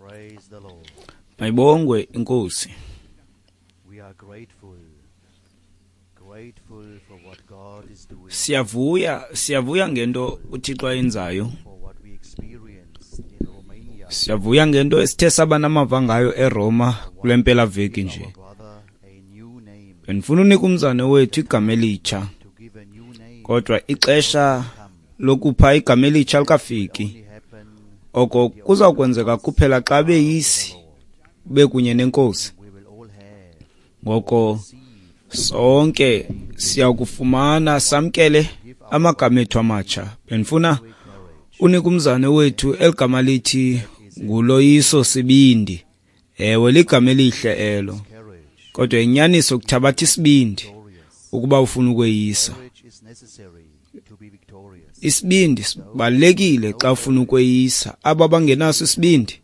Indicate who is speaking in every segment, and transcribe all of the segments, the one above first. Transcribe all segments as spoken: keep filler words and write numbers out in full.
Speaker 1: Praise the Lord.
Speaker 2: Mayibongwe inkosi.
Speaker 1: We are grateful, grateful for what God is doing,
Speaker 2: Siyavuya, siyavuya ngento uThixo ayenzayo.
Speaker 1: for what we experienced in Romania.
Speaker 2: Siyavuya ngento esithe saba namava ngayo eRoma kule mpela veki nje.
Speaker 1: Our brother a new name,
Speaker 2: Bendifuna unika umzane wethu igama elitsha,
Speaker 1: to give a new name
Speaker 2: kodwa ixesha lokupha igama elitsha likafiki.
Speaker 1: only happen
Speaker 2: Oko kuza kwenzeka kuphela xa beyisi bekunye nenkosi.
Speaker 1: we will all have
Speaker 2: Ngoko sonke siyakufumana samkele amagama ethu amatsha. Bendifuna unika umzane wethu eligama lithi nguLoyiso Sibindi. Ewe, ligama elihle elo.
Speaker 1: courage.
Speaker 2: Kodwa inyaniso kuthabatha isibindi ukuba ufuna ukweyisa.
Speaker 1: Courage is necessary to be victorious.
Speaker 2: Isibindi sibalulekile xa ufuna ukweyisa. Aba bangenaso isibindi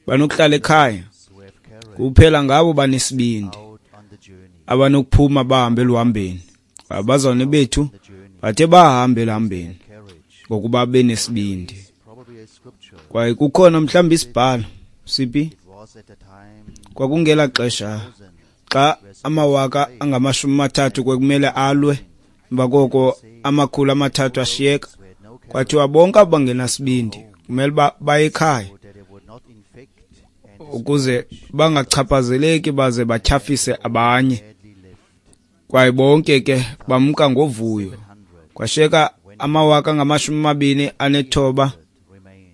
Speaker 2: banokuhlala ekhaya.
Speaker 1: Who have courage
Speaker 2: Kuphela ngabo banesibindi
Speaker 1: out on the journey,
Speaker 2: abanokuphuma bahambe eluhambeni. Abazalwane bethu
Speaker 1: the journey,
Speaker 2: bathe bahambe eluhambeni
Speaker 1: courage.
Speaker 2: ngokuba benesibindi.
Speaker 1: Probably a scripture.
Speaker 2: Kwaye kukhona mhlawumbi isibhalo siphi
Speaker 1: It was at the time
Speaker 2: kwakungela xesha xa amawaka angamashumi amathathu kwekumele alwe, emva koko amakhulu amathathu ashiyeka.
Speaker 1: who had no courage,
Speaker 2: Kwathiwa bonke abo bangenasibindi kumele uba baye ekhaya
Speaker 1: that they would not infect and
Speaker 2: ukuze bangachaphazeleki baze batyhafise abanye.
Speaker 1: gladly left
Speaker 2: Kwaye bonke ke bamka ngovuyo.
Speaker 1: hundred
Speaker 2: Kwashiyeka amawaka angamashumi amabini anethoba,
Speaker 1: remained.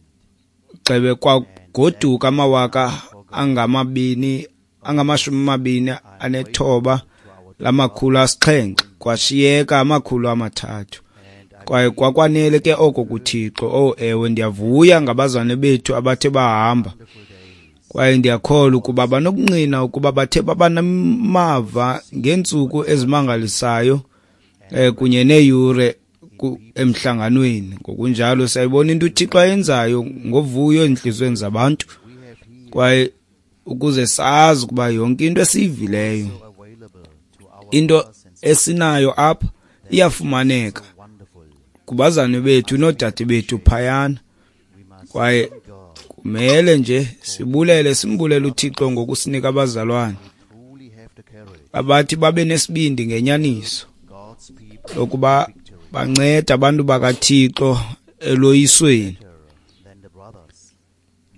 Speaker 2: gxebe kwagoduka amawaka angamabini angamashumi amabini anethoba lamakhulu asixhenxe, kwashiyeka amakhulu amathathu. Kwaye kwakwanele ke oko kuThixo. Oh ewe, ndiyavuya ngabazalwane bethu abathe bahamba. Kwaye ndiyakholwa ukuba banokunqina ukuba bathe baba namava ngeentsuku ezimangalisayo eh kunye neeyure ku- emhlanganweni. Ngokunjalo siyayibona into uThixo ayenzayo ngovuyo ezintliziyweni zabantu. Kwaye ukuze sazi ukuba yonke into esiyivileyo,
Speaker 1: Available to our
Speaker 2: into esinayo apha iyafumaneka
Speaker 1: wonderful.
Speaker 2: kubazalwane bethu noodade bethu phayana. Kwaye kumele nje sibulele, simbulele uThixo ngokusinika abazalwane
Speaker 1: Truly have the courage.
Speaker 2: abathi babe nesibindi ngenyaniso
Speaker 1: God's people
Speaker 2: lokuba banceda abantu bakaThixo eloyisweni.
Speaker 1: better than the brothers,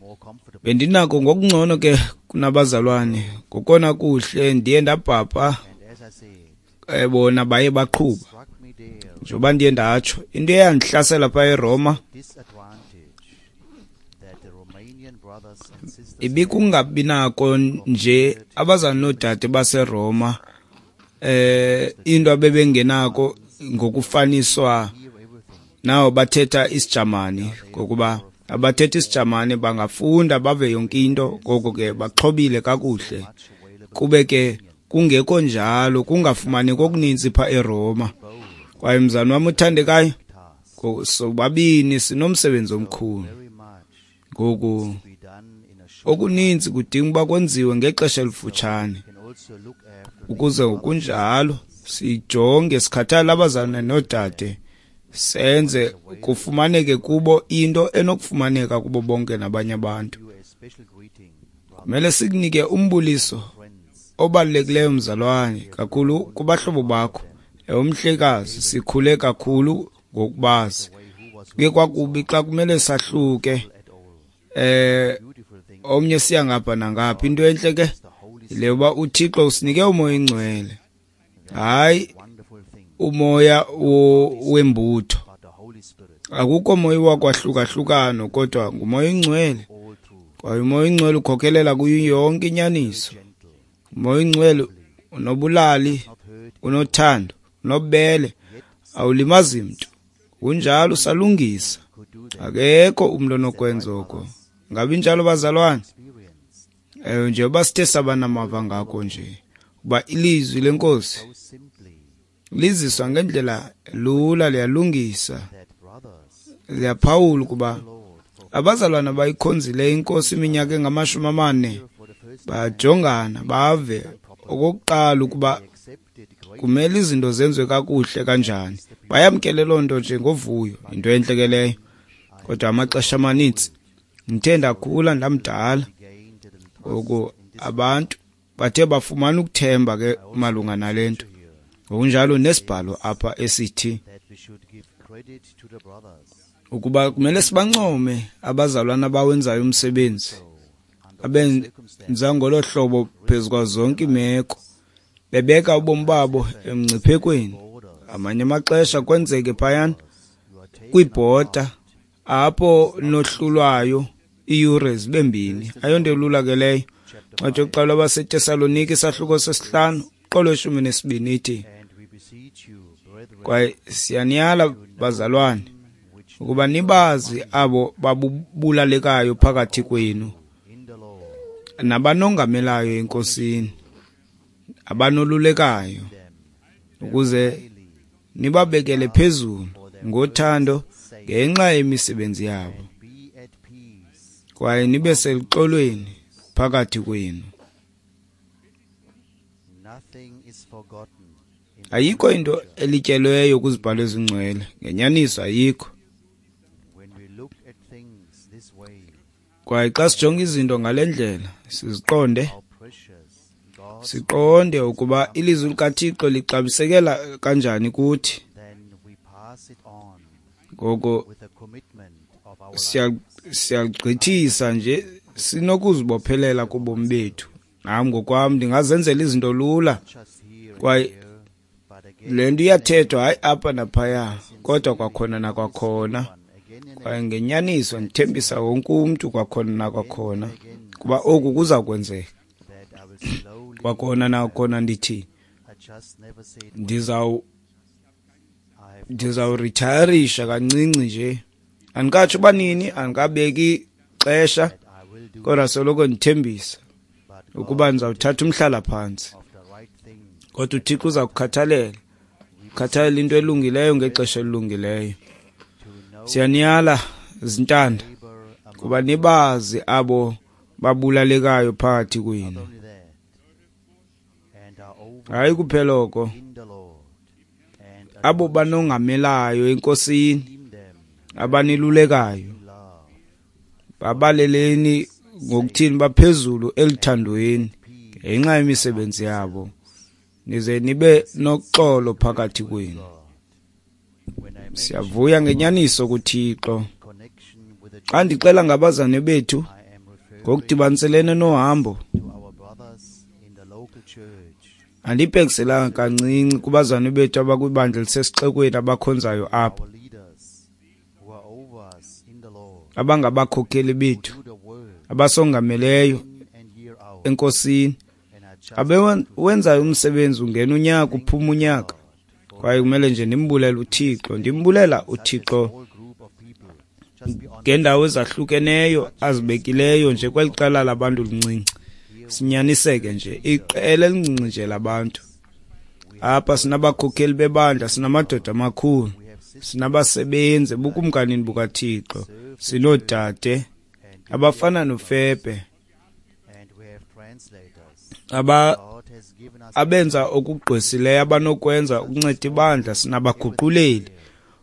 Speaker 1: more comfortable.
Speaker 2: Bendinako ngokungcono ke kunabazalwane, ngokona kuhle ndiye ndabhabha
Speaker 1: And as I said,
Speaker 2: eh, bona baye baqhuba.
Speaker 1: struck me there
Speaker 2: Njengoba ndiye ndatsho, into eyandihlasela phaa eRoma
Speaker 1: disadvantage that the Romanian brothers and sisters
Speaker 2: ibikungabi nako nje abazalwane noodade baseRoma eh into abebengenako ngokufaniswa
Speaker 1: hear everything.
Speaker 2: nawo bathetha isiJamani, ngokuba abathetha isiJamani bangafunda bave yonke into, ngoko ke baxhobile kakuhle.
Speaker 1: Much available
Speaker 2: Kube ke kungekho njalo, kungafumaneki okuninzi phaa eRoma. Kwaye mzalwane wam othandekayo,
Speaker 1: task.
Speaker 2: ngo- sobabini sinomsebenzi omkhulu.
Speaker 1: Very much
Speaker 2: Ngoku
Speaker 1: to be done in a short
Speaker 2: okuninzi kudinga uba kwenziwe ngexesha elifutshane,
Speaker 1: can also look after
Speaker 2: ukuze ngokunjalo sijonge sikhathale abazalwane noodade, senze kufumaneke kubo into enokufumaneka kubo bonke nabanye abantu.
Speaker 1: you a special greeting, brother
Speaker 2: Kumele sikunike umbuliso
Speaker 1: friends.
Speaker 2: obalulekileyo mzalwane, kakhulu kubahlobo bakho. Ewe umhlekazi, sikhule kakhulu ngokubazi.
Speaker 1: Way who was
Speaker 2: Kuye kwakubi xa kumele sahluke,
Speaker 1: at all.
Speaker 2: eh
Speaker 1: Beautiful thing
Speaker 2: omnye siya ngapha nangapha. Into entle ke
Speaker 1: the Holy
Speaker 2: yile yoba uThixo usinike umoya oyingcwele, hayi
Speaker 1: wonderful thing
Speaker 2: umoya wo- wembutho.
Speaker 1: but the Holy Spirit
Speaker 2: Akukho moya wakwahlukahlukano, kodwa ngumoya oyingcwele.
Speaker 1: all through
Speaker 2: Kwaye umoya oyingcwele ukhokelela kuyo yonke inyaniso.
Speaker 1: gentle,
Speaker 2: Umoya oyingcwele unobulali,
Speaker 1: not hurt
Speaker 2: unothando, unobubele, awulimazi mntu. Kunjalo usalungisa.
Speaker 1: could do that
Speaker 2: Akekho umntu onokwenza oko. Ngabi njalo bazalwane?
Speaker 1: experience
Speaker 2: Eh njengoba sithe saba namava ngako nje, kuba ilizwi lenkosi
Speaker 1: so simply
Speaker 2: liziswa ngendlela lula, liyalungisa,
Speaker 1: that brothers
Speaker 2: liyaphawula ukuba
Speaker 1: Lord for,
Speaker 2: abazalwana bayikhonzileyo inkosi iminyaka engamashumi amane
Speaker 1: for the first
Speaker 2: bajongana bave okokuqala ukuba
Speaker 1: accepted great
Speaker 2: kumele izinto zenziwe kakuhle kanjani. Bayamkele loo nto nje ngovuyo, into entle ke leyo. Kodwa amaxesha amanintsi ndithe ndakhula ndamdala, Ngoku abantu bathe bafumana ukuthemba ke malunga nale nto. Ngokunjalo nesibhalo apha esithi ukuba kumele sibancome abazalwana abawenzayo umsebenzi, abenza ngolo hlobo phezu kwazo zonke iimeko, bebeka ubomi babo emngciphekweni. Amanye amaxesha kwenzeke phayana kwibhoda apho nohlulwayo iiyure zibe mbini. Ayonto elula ke leyo. Ncwadi yokuqala abaseTesalonike isahluko sesihlanu qolo lweshumi nesibini ithi, kwaye siyaniyala bazalwane ukuba nibazi abo babulalekayo phakathi kwenu nabanongamelayo eNkosini, abanolulekayo, ukuze nibabekele phezulu ngothando ngenxa yemisebenzi yabo, kwaye nibe seluxolweni phakathi kwenu. Ayikho into elityelweyo kwizibhalo ezingcwele, ngenyaniso ayikho. Kwaye xa sijonga izinto ngale ndlela, siziqonde, siqonde ukuba ilizwi likaThixo lixabisekela kanjani kuthi. Ngoko siyagqithisa nje, sinokuzibophelela kubomi bethu. Nam ngokwam ndingazenzela izinto lula, kwaye le nto iyathethwa hayi apha naphaya, kodwa kwakhona nakwakhona. Kwaye ngenyaniso ndithembisa wonke umntu kwakhona nakwakhona kuba oku kuza kwenzeka. Kwakhona nakhona ndithi ndizawu ndizawuritayarisha kancinci nje. Andikatsho uba nini, andikabeki xesha, kodwa soloko ndithembisa ukuba ndizawuthatha umhlala-phantsi. Kodwa uThixo uza kukhathalela, ukhathalela into elungileyo ngexesha elilungileyo. Siyaniyala zintanda kuba nibazi abo babulalekayo phakathi kwenu. Hayi kuphela oko, abo banongamelayo eNkosini, abanilulekayo, babaleleni ngokuthini baphezulu eluthandweni ngenxa yemisebenzi yabo, nize nibe noxolo phakathi kwenu. Siyavuya ngenyaniso kuThixo. Xa ndixela ngabazane bethu ngokudibaniselene nohambo, andibhekiselanga kancinci kubazane bethu abakwibandla elisesixekweni abakhonzayo apha, abangabakhokheli bethu, abasongameleyo eNkosini, abewenzayo umsebenzi ungena unyaka uphuma unyaka. Kwaye kumele nje ndimbulele uThixo, ndimbulela uThixo ngeendawo ezahlukeneyo azibekileyo nje kweli qela labantu lincinci. Sinyaniseke nje, iqela elincinci nje labantu. Apha sinabakhokheli bebandla, sinamadoda amakhulu, sinabasebenzi ebukumkanini bukaThixo, sinoodade abafana noFebe aba abenza okugqwesileyo abanokwenza ukunceda ibandla, sinabaguquleli.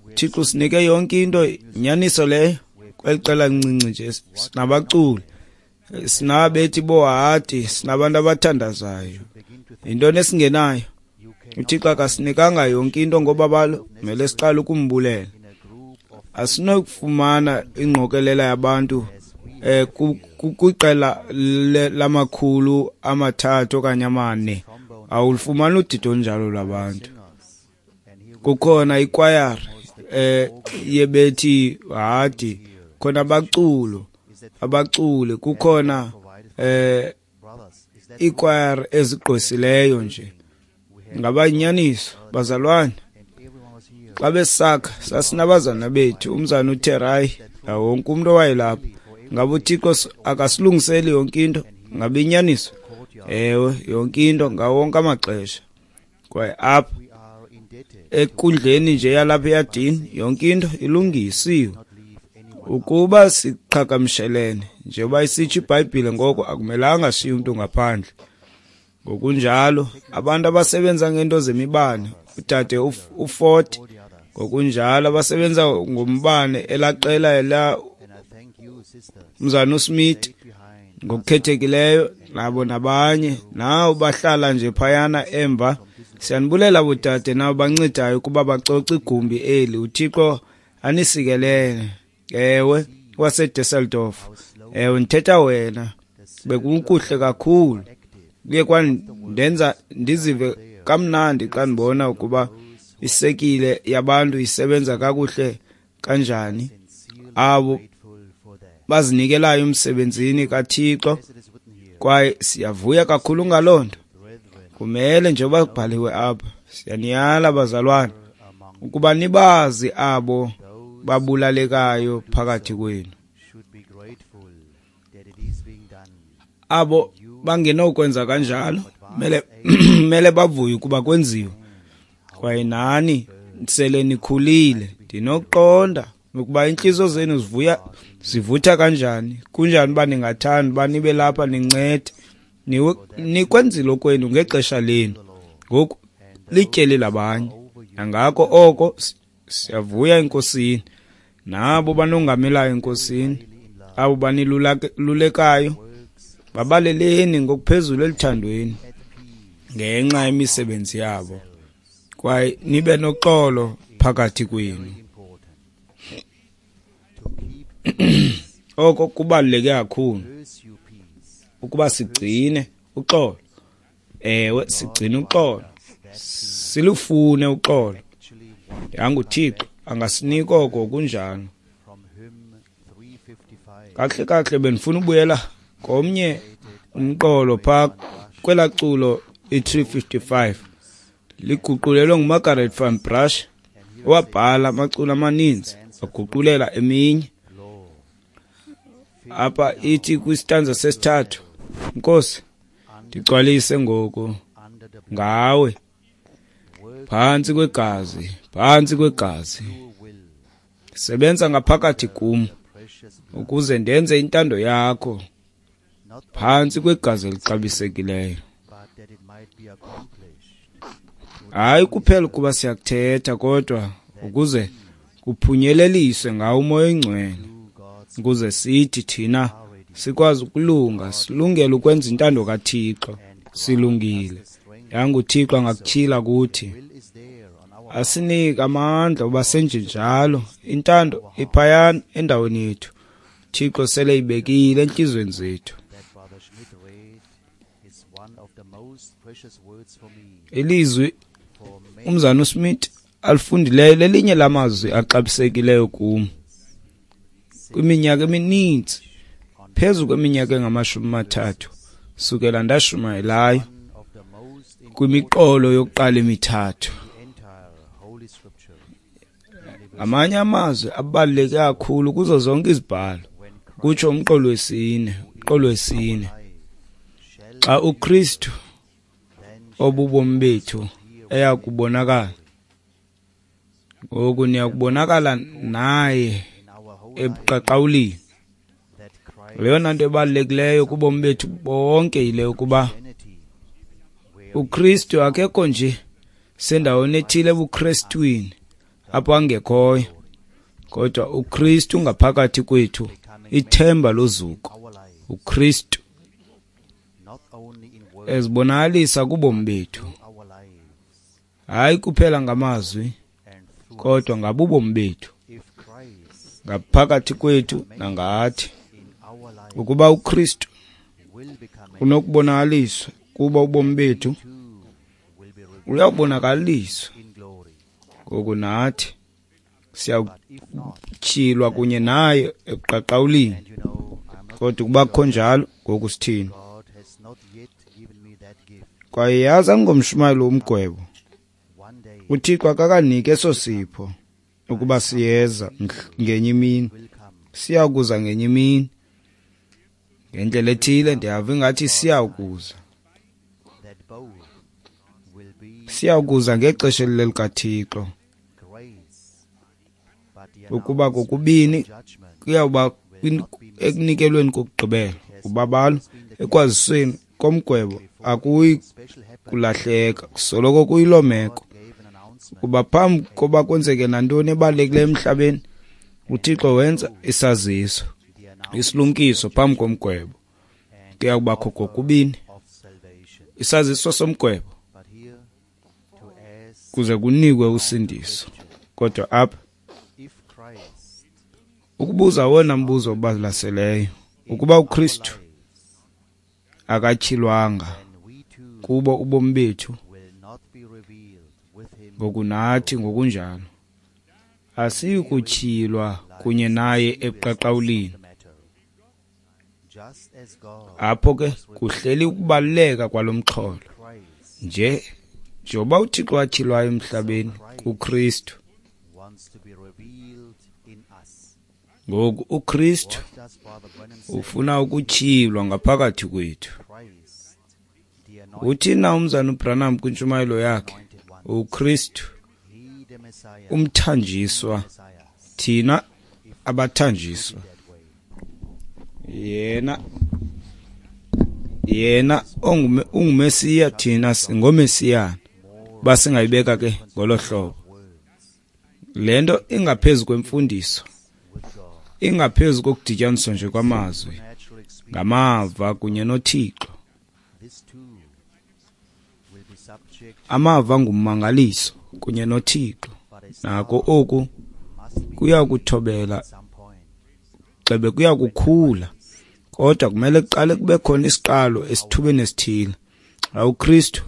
Speaker 2: uThixo sinike yonke into, inyaniso leyo. Kweli qela lincinci nje sinabaculi, sinabethi bohadi, sinabantu abathandazayo. Yintoni esingenayo? uThixo akasinikanga yonke into ngobabalo, kumele siqale ukumbulela. Asinokufumana ingqokelela yabantu eh kwiqela lamakhulu amathathu okanye amane, awulufumani udidi olunjalo lwabantu. Kukhona ikwayari eh yebethi hadi, khona abaculo abaculi, kukhona eh ikwayari ezigqwesileyo nje. Ngaba inyaniso bazalwane, xa besakha sasinabazana bethu, umzana uTerai, wonke umuntu owayelapha. Ngabe uThixo akasilungiseli yonke into? Ngabe inyaniso? Ewe, yonke into ngawo wonke amaxesha. Kwaye apha enkundleni nje yalapha eyadini yonke into ilungisiwe. Ukuba siqhagamshelene njengoba isitsho iBhayibhile, ngoko akumelanga shiye umntu ngaphandle. Ngokunjalo abantu abasebenza ngento zemibane, udade uFord, ngokunjalo abasebenza ngombane elaqela la umzana uSmith Ngokukhethekileyo nabo nabanye nawo bahlala nje phayana emva. Siyanibulela bodade nabo bancedayo ukuba bacoce igumbi eli. UThixo anisikelele. Ewe, waseDusseldorf. Ewe, ndithetha wena. Bekukuhle kakhulu. Kuye kwandenza ndizive kamnandi xa ndibona ukuba isekile yabantu isebenza kakuhle kanjani. Abo bazinikelayo emsebenzini kaThixo, kwaye siyavuya kakhulu ngaloo nto. Kumele njengoba kubhaliwe apha, siyaniyala bazalwane ukuba nibazi abo babulalekayo phakathi kwenu, abo bangenokwenza kanjalo mele mele bavuye ukuba kwenziwe. Kwaye nani sele nikhulile, ndinokuqonda ukuba iintliziyo zenu zivuya zivutha kanjani. Kunjani uba ningathanda uba nibe lapha nincede. Nikwenzile okwenu ngexesha lenu, ngoku lityeli labanye. Nangako oko siyavuya eNkosini. Nabo banongamelayo eNkosini, abo banilulekayo, babaleleni ngokuphezulu eluthandweni ngenxa yemisebenzi yabo, kwaye nibe noxolo phakathi kwenu. Oko kubaluleke kakhulu ukuba sigcine uxolo. Ewe, sigcine uxolo, silufune uxolo. YanguThixo angasinika oko kunjalo. Kakuhle kakuhle bendifuna ubuyela komnye umqolo phaa kwelaa culo i-three fifty-five, liguqulelwe nguMargaret van Brush, owabhala amaculo amaninzi waguqulela eminye. Apha ithi kwistanza sesithathu, Nkosi, ndigcwalise ngoku ngawe, phantsi kwegazi, phantsi kwegazi. Sebenza ngaphakathi kum ukuze ndenze intando yakho, phantsi kwegazi elixabisekileyo. Hayi kuphela ukuba siyakuthetha, kodwa ukuze kuphunyeleliswe ngawo uMoya oyiNgcwele, ukuze sithi thina sikwazi ukulunga, silungele ukwenza intando kaThixo. Silungile. YanguThixo angakutyhila kuthi, asinike amandla uba senje njalo. Intando iphayana endaweni yethu, Thixo sele ibekile entliziyweni zethu. Ilizwi umzana uSmith alifundileyo lelinye lamazwi axabisekileyo kum. Kwiminyaka emininzi, phezu kweminyaka engamashumi amathathu sukela ndashumayelayo kwimiqolo yokuqala emithathu, ngamanye amazwi abaluleke kakhulu kuzo zonke izibhalo, kutsho umqolo wesine. Umqolo wesine, xa uKristu obubomi bethu eya kubonakala, ngoku niyakubonakala naye ebuqaqawulini. Leyona nto ebalulekileyo kubomi bethu bonke yile yokuba uKristu akekho nje sendaweni ethile ebuKristwini apho angekhoyo, kodwa uKristu ngaphakathi kwethu, ithemba lozuko. uKristu ezibonakalisa kubomi bethu, hayi kuphela ngamazwi, kodwa ngabubomi bethu, ngaphakathi kwethu nangathi. Ukuba uKristu unokubonakaliswa kuba ubomi bethu uyabonakaliswa, ngoku nathi siyakutyhilwa kunye naye ebuqaqawulini. Kodwa ukuba kukho njalo, ngoku sithini? Kwaye yazi angomshumayeli womgwebo, uThixo akakaniki eso sipho ukuba siyeza ngenye imini, siyakuza ngenye imini. Ngendlela ethile ndiyava ingathi siyakuza, siyakuza ngexesha elilelikaThixo. Ukuba kokubini kuyawuba ekunikelweni kokugqibela, ubabalo ekwazisweni komgwebo akuyi kulahleka, kusoloko kuyiloo meko. Kuba phambi koba kwenzeke nantoni ebalulekileyo emhlabeni, uThixo wenza isaziso, isilumkiso phambi komgwebo. Kuya kubakho kokubini isaziso somgwebo kuze kunikwe usindiso. Kodwa apha ukubuza wona mbuzo obalaseleyo, ukuba uKristu akatyhilwanga kubo ubomi bethu, ngokunathi ngokunjalo asiyi kutyhilwa kunye naye ebuqaqawulini. Apho ke kuhleli ukubaluleka kwalo mxholo. Nje njengoba uThixo watyhilwayo emhlabeni kuKristu, ngoku uKristu ufuna ukutyhilwa ngaphakathi kwethu. Uthi na umzana uBranham kwintshumayelo yakhe, uKristu umthanjiswa, thina abathanjiswa. Yena yena unguMesiya, thina singomesiyana. Basingayibeka ke ngolo hlobo. Le nto ingaphezu kwemfundiso, ingaphezu kokudityaniswa nje kwamazwi, ngamava kunye noThixo. Amava ngummangaliso kunye noThixo. Nako oku kuya kuthobela, xebe kuya kukhula, kodwa kumele kuqale kube khona isiqalo esithubeni esithile. Xa uKristu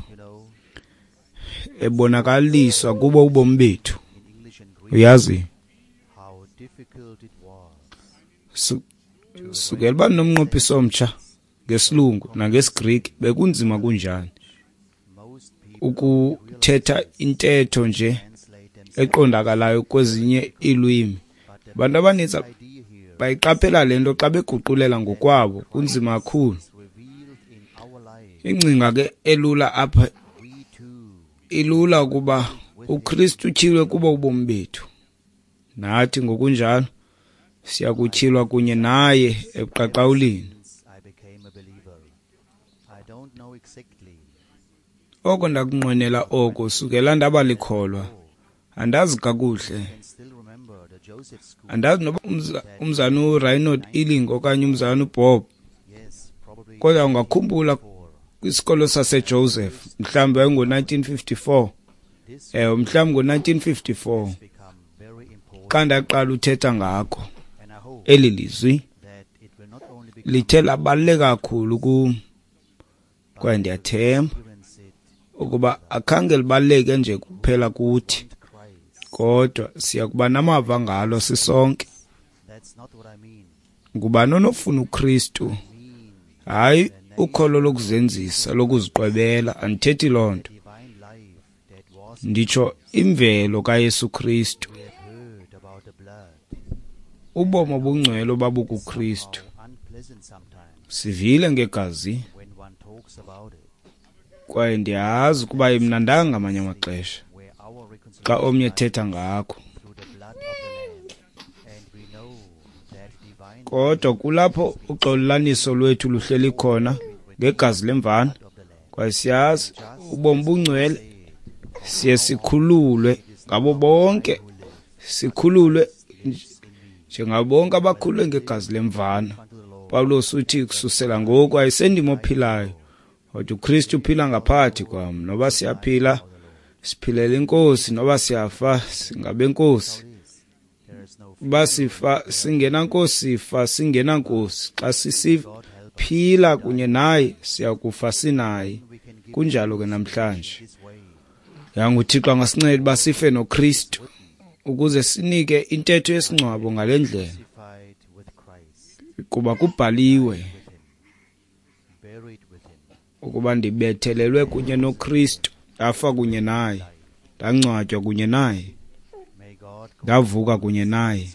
Speaker 2: ebonakaliswa kubo ubomi bethu, uyazi, sukela uba nomnqophiso omtsha ngesilungu nangesiGriki bekunzima kunjani ukuthetha intetho nje eqondakalayo kwezinye iilwimi. Abantu abaninzi bayiqaphela le nto xa beguqulela ngokwabo, kunzima kakhulu. Ingcinga ke elula apha ilula ukuba uKristu utyhilwe kubo ubomi bethu, nathi ngokunjalo siyakutyhilwa kunye naye ebuqaqawulini. Oko ndakunqwenela oko sukela ndaba likholwa. Andazi kakuhle, andazi noba umzana uReinhold Illing okanye umzana uBob, kodwa ungakhumbula kwisikolo saseJoseph, mhlawumbi yayingo-nineteen fifty-four. Ewe, mhlawumbi ngo-nineteen fifty-four xa ndaqala uthetha ngako. Eli lizwi lithe labaluleka kakhulu kum, kwaye ndiyathemba ukuba akhange libaluleke nje kuphela kuthi, kodwa siya kuba namava ngalo sisonke. Ngubani onofuna uKristu? Hayi ukholo lokuzenzisa, lokuziqwebela, andithethi loo nto. Nditsho imvelo kaYesu Kristu, ubomi obungcwele obabukuKristu. Sivile ngegazi, kwaye ndiyazi ukuba imnandanga ngamanye amaxesha xa omnye ethetha ngakho, kodwa kulapho uxolelaniso lwethu luhleli khona ngegazi lemvana. Kwaye siyazi ubomi bungcwele, siye sikhululwe ngabo bonke, sikhululwe njengabo bonke abakhululwe ngegazi lemvana. Pawulos uthi kususela ngoku ayisendim ophilayo, kodwa uKristu uphila ngaphakathi kwam. Noba siyaphila siphilela iNkosi, noba siyafa singabenkosi. Uba sifa singenankosi, sifa singenankosi. Xa sisiphila kunye naye siyakufa sinaye. Kunjalo ke namhlanje. YanguThixo angasinceda uba sife noKristu ukuze sinike intetho yesingcwabo ngale ndlela, kuba kubhaliwe ukuba ndibethelelwe kunye noKristu, ndafa kunye naye, ndangcwatywa kunye naye, ndavuka kunye naye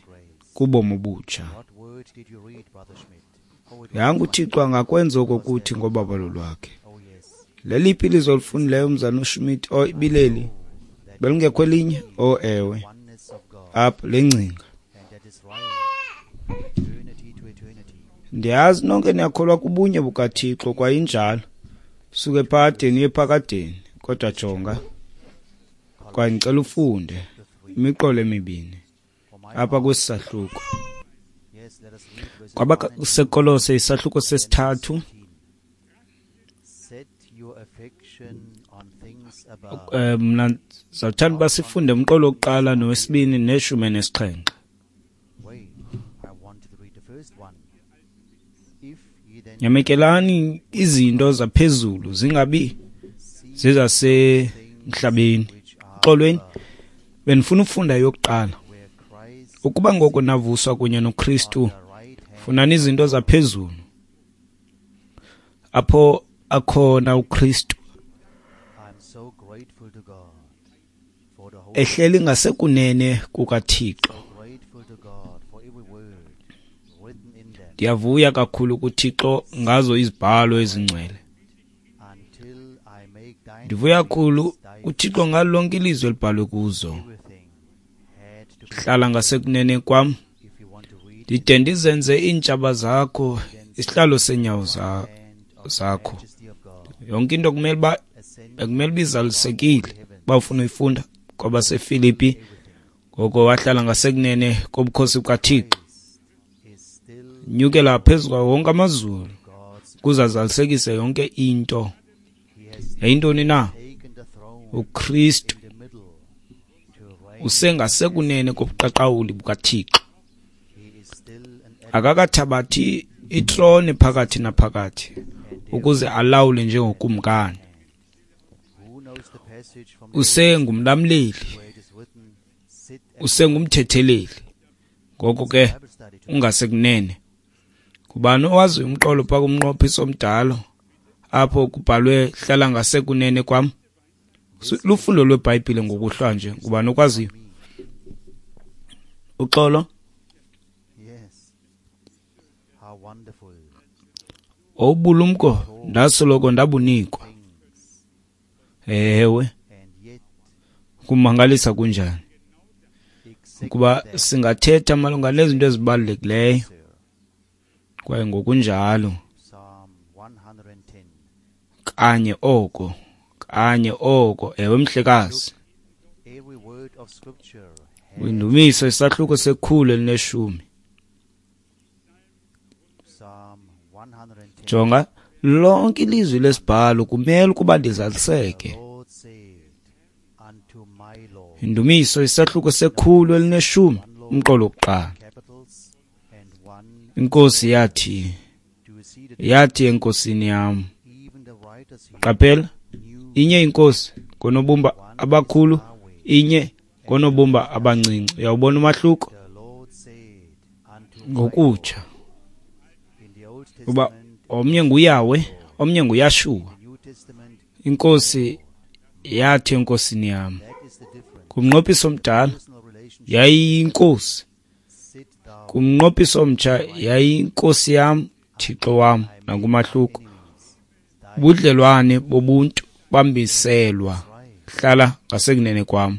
Speaker 2: kubomi obutsha. Yanga uThixo angakwenza oko kuthi ngobabalo lwakhe. Leliphi ilizwi olifundileyo umzana uSchmidt? O, ibileli belingekho elinye? O, ewe, apha le ngcinga. Ndiyazi nonke niyakholwa kubunye bukaThixo, kwaye injalo, suke ephakadeni uye ephakadeni. Kodwa jonga, kwaye ndicela ufunde imiqolo emibini apha kwesi sahluko. KwabaseKolose isahluko sesithathu Mna ndizawuthanda uba sifunde umqolo wokuqala nowesibini neshumi nesixhenxe. Nyamekelani izinto zaphezulu zingabi zezasemhlabeni. Xolweni, bendifuna ukufunda yokuqala. Ukuba ngoko navuswa kunye noKristu, funani izinto zaphezulu apho akhona uKristu ehleli ngasekunene kukaThixo. Ndiyavuya kakhulu kuThixo ngazo izibhalo ezingcwele. Ndivuya kakhulu kuThixo ngalo lonke ilizwi elibhalwe kuzo. Hlala ngasekunene kwam, ndide ndizenze iintshaba zakho isihlalo seenyawo zakho. Yonke into kumele uba bekumele uba izalisekile uba ufuna uyifunda kwabaseFilipi. Ngoko wahlala ngasekunene kobukhosi bukaThixo, nyukela phezu kwawo wonke amazulu ukuze azalisekise yonke into. Yayintoni na? UKristu usengasekunene kobuqaqawuli bukaThixo. Akakathabathi itrone phakathi naphakathi ukuze alawule njengokumkani. Usengumlamleli, usengumthetheleli. Ngoko ke ungasekunene. Ngubani owaziyo umqolo phaa kumnqophiso omdala apho kubhalwe hlala ngasekunene kwam? Lufundo lweBhayibhile ngokuhlwa nje. Ngubani okwaziyo? Uxolo. Obulumko ndasoloko ndabunikwa. Ewe, kumangalisa kunjani ukuba singathetha malunga nezinto ezibalulekileyo kwaye ngokunjalo kanye oko kanye oko. Ewe mhlekazi, kwindumiso isahluko sekhulu elineshumi. Jonga, lonke ilizwi lesibhalo kumele ukuba lizaliseke. Indumiso isahluko sekhulu elineshumi, umqolo wokuqala. Inkosi yathi, yathi enkosini yam. Qaphela, inye inkosi ngonobumba abakhulu, inye ngonobumba abancinci. Uyawubona umahluko? Ngokutsha uba omnye nguYahweh, omnye nguYashuwa. Inkosi yathi enkosini yam. Kumnqophiso omdala yayiyinkosi, kumnqophiso omtsha yayiyinkosi yam, Thixo wam. Nangumahluko. Ubudlelwane bobuntu bambiselwa. Hlala ngasekunene kwam,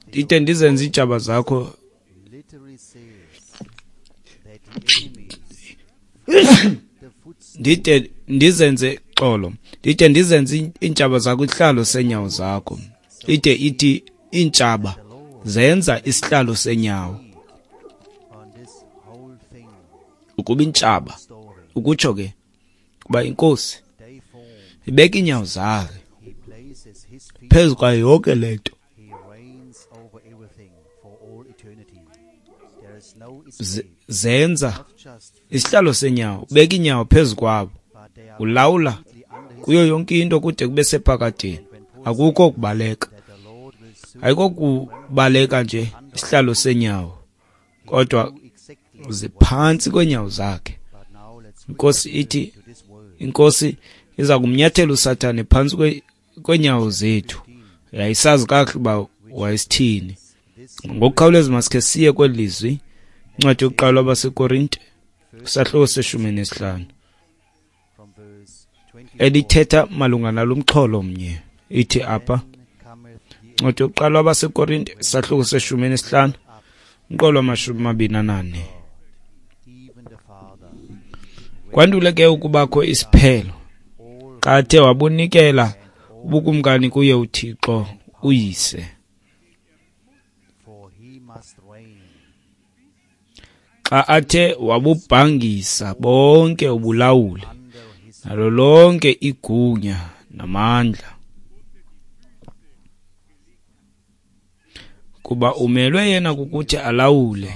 Speaker 2: ndide ndizenze iintshaba zakho ndide ndizenze xolo ndide ndizenze iintshaba zakho isihlalo seenyawo zakho. Ide ithi iintshaba zenza isihlalo seenyawo. Ukuba intshaba, ukutsho ke kuba inkosi ibeka iinyawo zakhe phezu kwayo yonke le nto. Zenza isihlalo senyawo, ubeka iinyawo phezu kwabo, ulawula kuyo yonke into kude kube sephakadeni. Akukho kubaleka, ayikho kubaleka nje isihlalo senyawo, kodwa ziphantsi kweenyawo zakhe. Inkosi ithi, inkosi iza kumnyathela uSathane phantsi kweenyawo zethu. Yayisazi kakuhle uba wayesithini. Ngokukhawuleza masikhe siye kweli lizwi, incwadi yokuqala kwabaseKorinte, isahluko seshumi nesihlanu, elithetha malunga nalo mxholo mnye. Ithi apha, incwadi yokuqala kwabaseKorinte, isahluko seshumi nesihlanu, umqolo wamashumi amabini anane. Kwandule ke ukubakho isiphelo, xa athe wabunikela ubukumkani kuye uThixo uYise, xa athe wabubhangisa bonke ubulawuli nalo lonke igunya namandla. Kuba umelwe yena kukuthi alawule,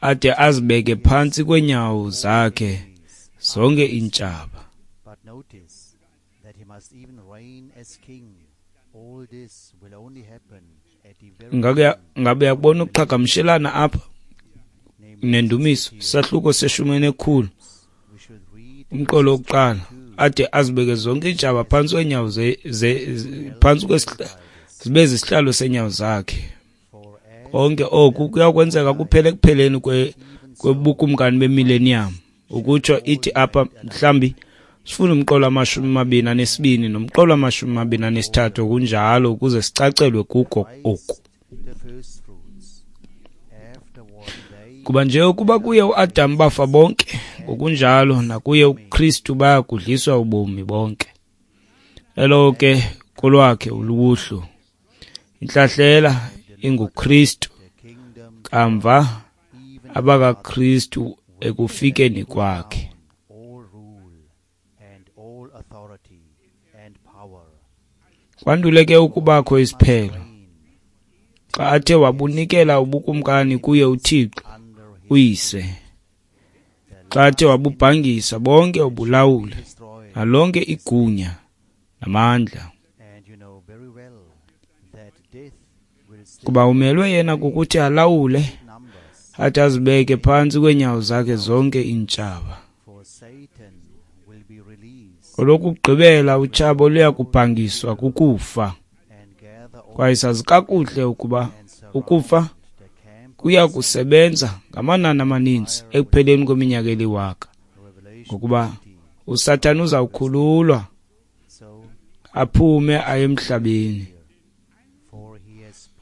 Speaker 2: ade azibeke phantsi kweenyawo zakhe zonke iintshaba. Ngabe uyakubona ukuqhagamshelana apha nendumiso, isahluko seshumi nekhulu, umqolo wokuqala, ade azibeke zonke iintshaba phantsi kweenyawo phantsi zibe zisihlalo seenyawo zakhe. Konke oku kuyakwenzeka kuphela ekupheleni kwebukumkani bemillennium. Ukutsho ithi apha mhlambi sifuna umqolo amashumi amabini anesibini nomqolo amashumi amabini anesithathu kunjalo ukuze sicacelwe kuko oku. Kuba nje ukuba kuye uAdam bafa bonke, ngokunjalo nakuye uKristu baya kudliswa ubomi bonke. Elo ke kolwakhe uluhlu. Intlahlela inguKristu, kamva abakaKristu ekufikeni kwakhe. Kwandule ke ukubakho isiphelo, xa athe wabunikela ubukumkani kuye uThixo uyise, xa athe wabubhangisa bonke ubulawuli nalonke igunya namandla. Kuba umelwe yena kukuthi alawule, athi azibeke phantsi kweenyawo zakhe zonke iintshaba. Olokugqibela utshaba luya kubhangiswa kukufa. Kwaye sazi kakuhle ukuba ukufa kuya kusebenza ngamanani amaninzi ekupheleni kweminyaka eliwaka, ngokuba uSathana uzawukhululwa aphume aye emhlabeni,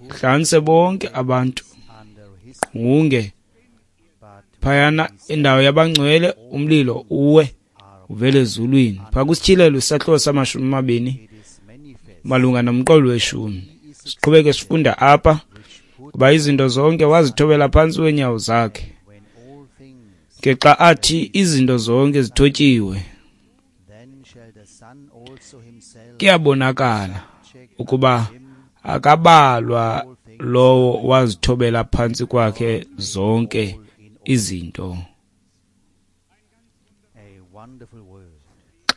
Speaker 2: hlanganise bonke abantu ngunge phayana indawo yabangcwele, umlilo uwe uvele ezulwini. Phaa kwiSityhilelo isahluko samashumi amabini malunga nomqolo weshumi. Siqhubeke sifunda apha, kuba izinto zonke wazithobela phantsi kweenyawo zakhe. Ke xa athi izinto zonke zithotyiwe, kuyabonakala ukuba akabalwa lowo wazithobela phantsi kwakhe zonke izinto.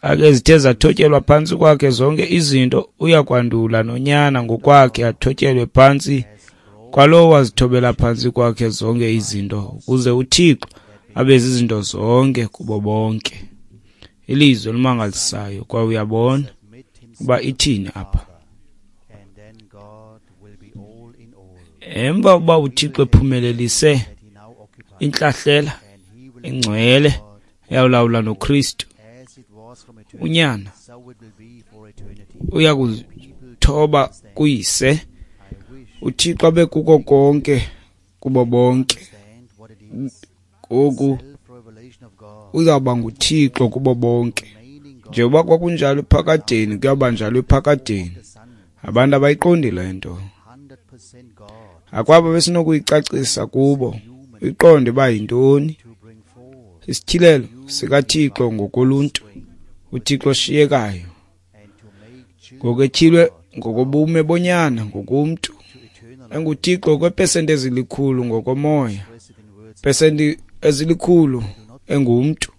Speaker 2: Xa ke zithe zathotyelwa phantsi kwakhe zonke izinto, uya kwandula noNyana ngokwakhe athotyelwe phantsi kwalowo wazithobela phantsi kwakhe zonke izinto, ukuze uThixo abe zizinto zonke kubo bonke. Ilizwi elimangalisayo, kwaye uyabona uba ithini apha. Emva uba uThixo ephumelelise intlahlela engcwele eyawulawula noKristu, uNyana uya kuzithoba kuyise, uThixo abe kuko konke kubo bonke. Ngoku uzawuba nguThixo kubo bonke. Njengoba kwakunjalo ephakadeni, kuyawuba njalo ephakadeni. Abantu abayiqondi le nto. Akwabo besinokuyicacisa kubo, uyiqonde uba yintoni isityhilelo sikaThixo ngokoluntu, uThixo oshiyekayo, ngokutyhilwe ngokobume bonyana ngokomntu, enguThixo kweepesenti ezilikhulu ngokomoya, pesenti ezilikhulu engumntu.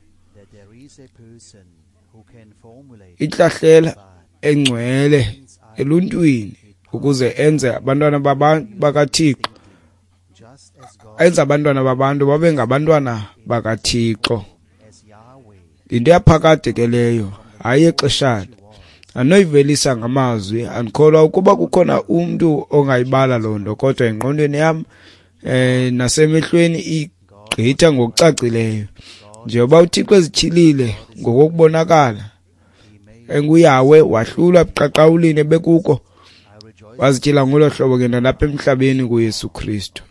Speaker 2: Intlahlela engcwele eluntwini ukuze enze abantwana bakaThixo, enze abantwana babantu babe ngabantwana bakaThixo. Yinto yaphakade ke leyo, hayi exeshana. Anoyivelisa ngamazwi, andikholwa ukuba kukhona umntu ongayibala loo nto, kodwa engqondweni yam eh nasemehlweni igqitha ngokucacileyo. Njengoba uThixo ezityhilile ngokokubonakala enguYahweh, wahlulwa ebuqaqawulini ebekuko, wazityhila ngolo hlobo ke nalapha emhlabeni kuYesu Kristu.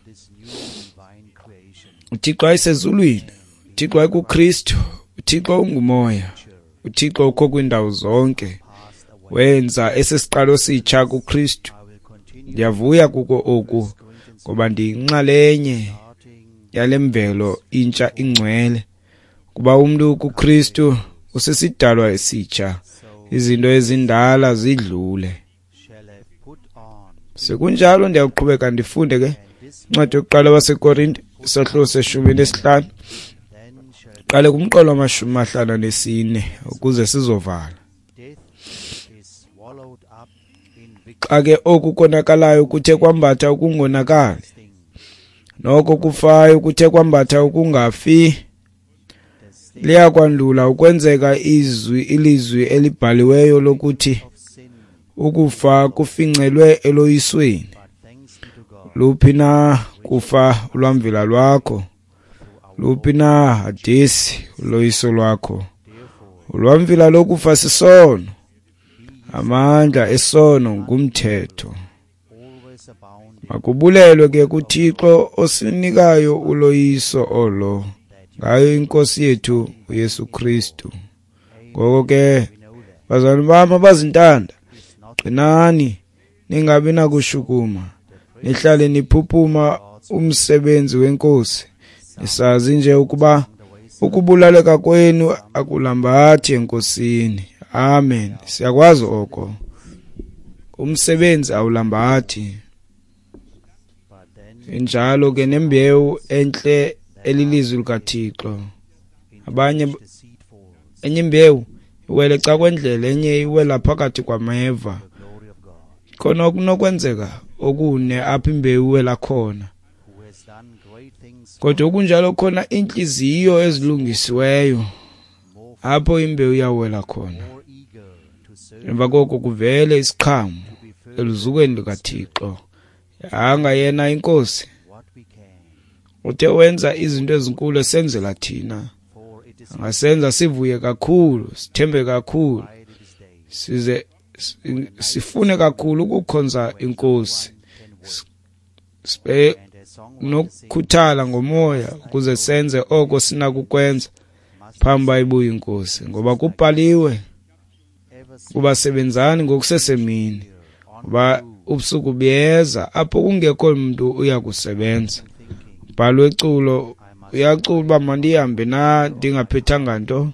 Speaker 2: uThixo wayesezulwini, uThixo wayekuKristu, uThixo ungumoya, uThixo ukho kwiindawo zonke. Wenza esisiqalo sitsha kuKristu. Ndiyavuya kuko oku, ngoba ndiyinxalenye yale mvelo intsha ingcwele. Kuba umntu kuKristu usisidalwa esitsha, Izinto ezindala zidlule. Sekunjalo ndiyaqhubeka ndifunde ke incwadi yokuqala waseKorinte isahluko seshumi nesihlanu, qale kumqolo wamashumi amahlanu anesine ukuze sizovala. Xa ke oku konakalayo kuthe kwambatha ukungonakali, noko kufayo kuthe kwambatha ukungafi, liyakwandula ukwenzeka izwi ilizwi elibhaliweyo lokuthi ukufa kufincelwe eloyisweni. Luphi na kufa ulwamvila lwakho? Luphi na Hadesi uloyiso lwakho? Ulwamvila lokufa sisono, amandla esono ngumthetho. Makubulelwe ke kuThixo osinikayo uloyiso olo ngayo iNkosi yethu uYesu Kristu. Ngoko ke bazalwane bam abazintanda, qinani, ningabi nakushukuma, nihlale niphuphuma umsebenzi weNkosi, nisazi nje ukuba ukubulaleka kwenu akulambathi eNkosini. Amen. Siyakwazi oko, umsebenzi awulambathi. Injalo ke nembewu entle elilizwi likaThixo. Abanye enye imbewu iwele ca kwendlela, enye iwela phakathi kwameva. Khona okunokwenzeka okune apho imbewu iwela khona, kodwa okunjalo khona inhliziyo ezilungisiweyo apho imbewu iyawela khona. Emva koko kuvele isiqhamo eluzukweni likaThixo. Yanga yena iNkosi uthe wenza izinto ezinkulu esenzela thina, angasenza sivuye kakhulu, sithembe kakhulu, size sifune kakhulu ukukhonza iNkosi, sibe nokukhuthala ngomoya ukuze senze oko sinakukwenza phambi bayibuye iNkosi. Ngoba kubhaliwe kuba sebenzani ngokusesemini, ngoba ubusuku buyeza apho kungekho mntu uya kusebenza. Bhalwe iculo, uyacula uba mandihambe na ndingaphethanga nto,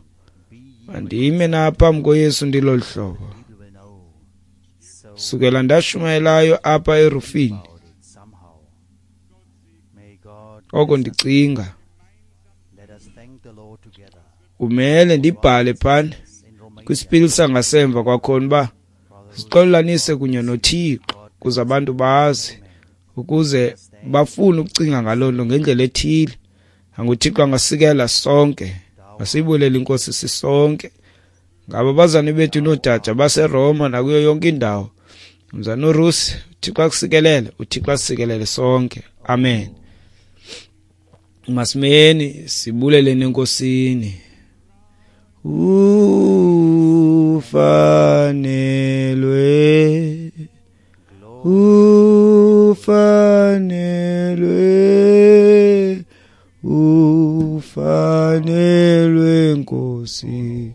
Speaker 2: mandime na phambi koYesu ndilolu hlobo. Sukela ndashumayelayo apha erufini, oko ndicinga kumele ndibhale phana kwisipili sangasemva kwakhona uba sixolelanise kunye noThixo, ukuze abantu bazi, ukuze bafune ukucinga ngaloo nto ngendlela ethile. AnguThixo angasikela sonke, masiyibulele iNkosi sisonke. Ngabo abazane bethu noodade baseRoma nakuyo yonke indawo. Mzana uRusi, uThixo akusikelele, uThixo asikelele sonke. Amen. Masimeni sibuleleni eNkosini. Ufanelwe, ufanelwe, ufanelwe Nkosi,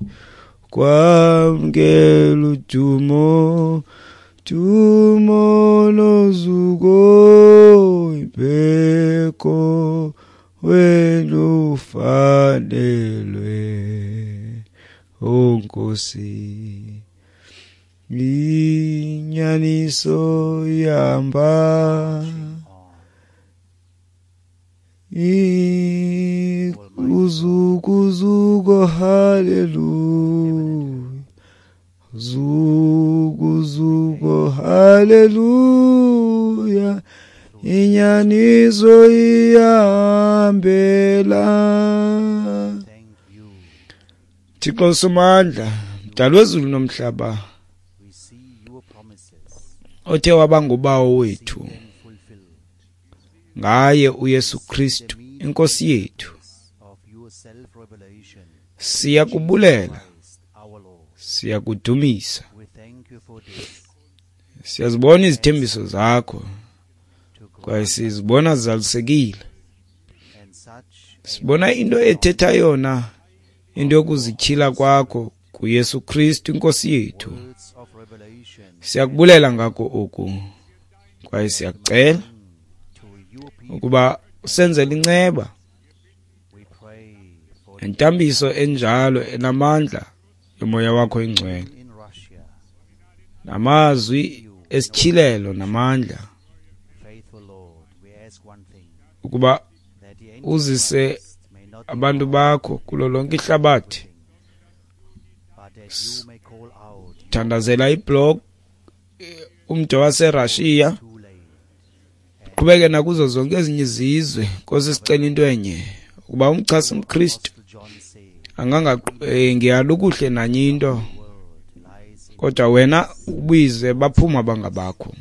Speaker 2: kwamkela udumo, dumo nozuko, ibeko wena ufanelwe, o Nkosi. Inyaniso ihamba, uzukuzuko, haleluya, zukuzuko, haleluya, inyaniso ihambela. Thixo Somandla, Mdali wezulu nomhlaba, othe waba ngubawo wethu ngaye uYesu Kristu iNkosi yethu, siyakubulela, siyakudumisa, siyazibona izithembiso zakho kwaye sizibona zizalisekile. Sibona into ethetha yona, into yokuzityhila kwakho kuYesu Kristu iNkosi yethu. Siyakubulela ngako oku kwaye siyakucela ukuba usenzele inceba nentambiso enjalo enamandla yomoya wakho ingcwele. Namazwi esityhilelo namandla ukuba uzise abantu bakho kulo lonke ihlabathi. Thandazela iblog umda waseRussia, qhubeke nakuzo zonke ezinye izizwe. Nkosi, sicela into enye, ukuba umchasi umKristu angangiyala nanye into, kodwa wena ubize baphuma abangabakho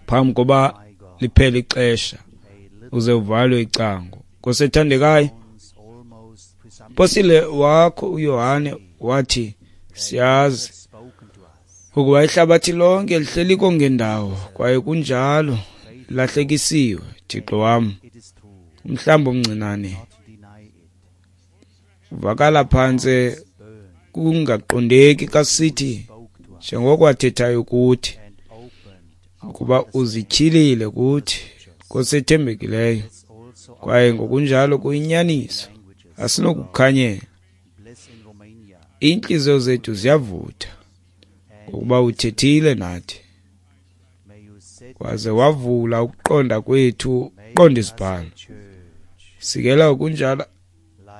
Speaker 2: phambi koba liphele ixesha, uze uvalwe icango. Nkosi ethandekayo, Posile wakho uYohane wathi siyazi ukuba ihlabathi lonke lihleli kongendawo, kwaye kunjalo lahlekisiwe. Thixo wam, umhlambi omncinane uvakala phantse kungaqondeki xa sithi njengoko wathethayo kuthi, ukuba uzityhilile kuthi, Nkosi ethembekileyo, kwaye ngokunjalo kuyinyaniso, asinokukhanyela. Iintliziyo zethu ziyavutha ngokuba uthethile nathi, waze wavula ukuqonda kwethu, uqonda isibhalo. Sikela ngokunjalo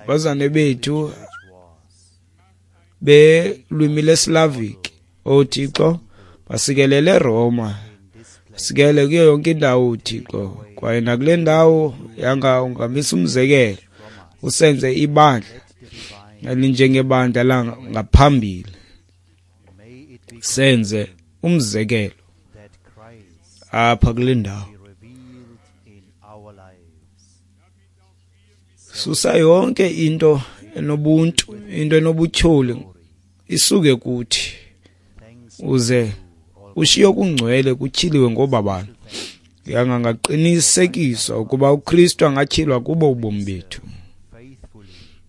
Speaker 2: abazane bethu belwimi leSlavic, O Thixo, basikelele eRoma, sikelele kuyo yonke indawo, Thixo, kwaye nakule ndawo yanga ungamisa umzekelo, usenze ibandla elinjengebandla langaphambili, senze umzekelo apha kule ndawo. Susa yonke into enobuntu, into enobutyholi isuke kuthi, uze ushiye okungcwele kutyhiliwe ngobabalo. Yanga ngaqinisekiswa ukuba uKristu angatyhilwa kubo ubomi bethu,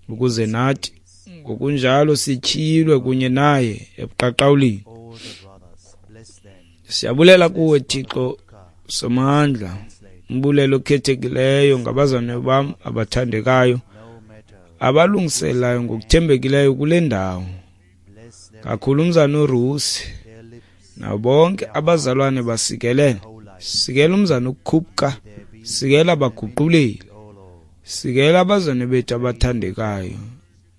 Speaker 2: ukuze nathi ngokunjalo sityhilwe kunye naye ebuqaqawulini. Siyabulela kuwe Thixo Somandla, umbulelo okhethekileyo ngabazalwane bam abathandekayo abalungiselayo ngokuthembekileyo kule ndawo, kakhulu umzana uRusi nabo bonke abazalwane basikelele. Sikela umzana uKhupka, sikela abaguquleli, sikela abazalwane bethu abathandekayo,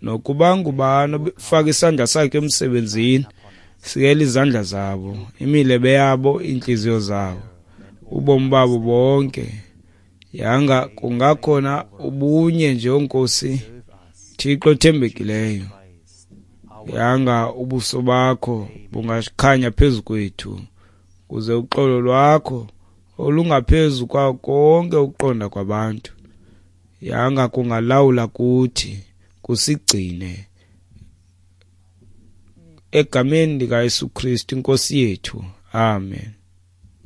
Speaker 2: nokuba ngubani ofaka isandla sakhe emsebenzini, sikela izandla zabo, imilebe yabo, iintliziyo zabo, ubomi babo bonke. Yanga kungakhona ubunye nje, Nkosi Thixo othembekileyo. Yanga ubuso bakho bungakhanya phezu kwethu, kuze uxolo lwakho olungaphezu kwa konke ukuqonda kwabantu, yanga kungalawula kuthi, kusigcine egameni likaYesu Kristu inkosi yethu. Amen.